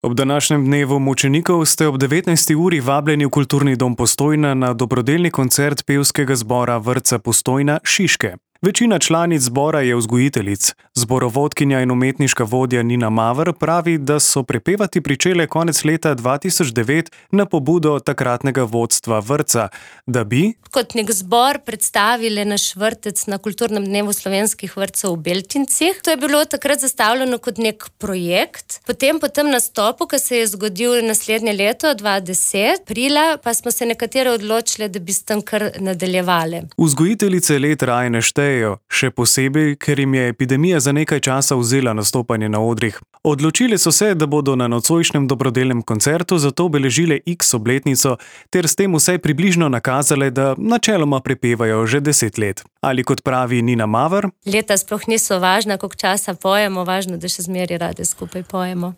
Ob današnjem dnevu mučenikov ste ob 19. uri vabljeni v Kulturni dom Postojna na dobrodelni koncert pevskega zbora Vrtca Postojna Šiške. Večina članic zbora je vzgojiteljic. Zborovodkinja in umetniška vodja Nina Maver pravi, da so prepevati pričele konec leta 2009 na pobudo takratnega vodstva vrtca, da bi kot nek zbor predstavili naš vrtec na Kulturnem dnevu slovenskih vrtcev v Beltincih. To je bilo takrat zastavljeno kot nek projekt. Potem po tem nastopu, ki se je zgodil naslednje leto, 2010, aprila, pa smo se nekatere odločili, da bi s tem kar nadaljevali. Vzgojiteljice let raje ne štejejo, še posebej, ker jim je epidemija za nekaj časa vzela nastopanje na odrih. Odločili so se, da bodo na nocojšnjem dobrodelnem koncertu zato obeležile X obletnico ter s tem vsaj približno nakazale, da načeloma prepevajo že 10 let. Ali kot pravi Nina Maver: Leta sploh niso važna, koliko časa pojemo, važno, da še zmeraj rade skupaj pojemo.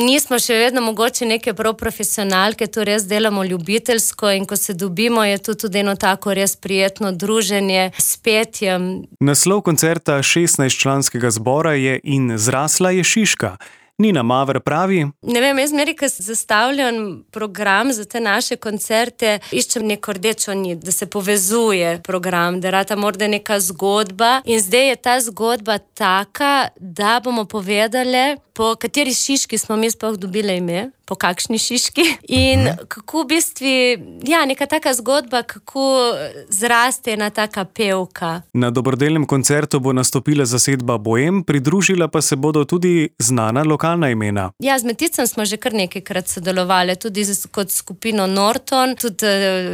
Nismo še vedno mogoče neke prav profesionalke, to res delamo ljubiteljsko in ko se dobimo, je to tudi eno tako res prijetno druženje s petjem. Naslov koncerta 16-članskega zbora je In zrasla je Šiška. Nina Maver pravi: Ne vem, jaz meri, ko zastavljam program za te naše koncerte, iščem neko rdečo nit, da se povezuje program, da rata morda neka zgodba. In zdaj je ta zgodba taka, da bomo povedali, po kateri šiški smo mi sploh dobili ime, po kakšni šiški. In kako v bistvu, neka taka zgodba, kako zraste ena taka pevka. Na dobrodelnem koncertu bo nastopila zasedba Boem, pridružila pa se bodo tudi znana lokalna imena. Z Meticem smo že kar nekajkrat sodelovali, tudi kot skupino Norton, tudi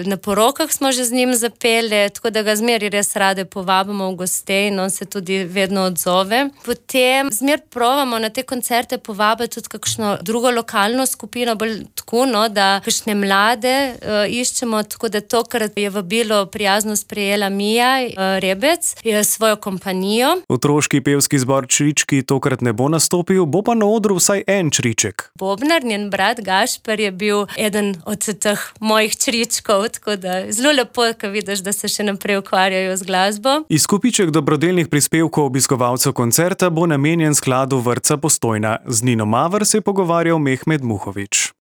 na porokah smo že z njim zapeli, tako da ga zmeri res rade povabimo v goste in on se tudi vedno odzove. Potem zmer provamo na te koncerte povabiti tudi kakšno drugo lokalno skupino, bolj tako, da kakšne mlade iščemo, tako da tokrat je vabilo prijazno sprejela Mija Rebec, je svojo kompanijo. Otroški pevski zbor Črički tokrat ne bo nastopil, bo pa na odru vsaj en čriček. Bobnar, njen brat Gašper, je bil eden od teh mojih čričkov, tako da zelo lepo, ko vidiš, da se še naprej ukvarjajo z glasbo. Izkupiček dobrodelnih prispevkov obiskovalcev koncerta bo namenjen skladu Vrtca Postojna. Z Nino Maver se je pogovarjal Mehmed Muhovič.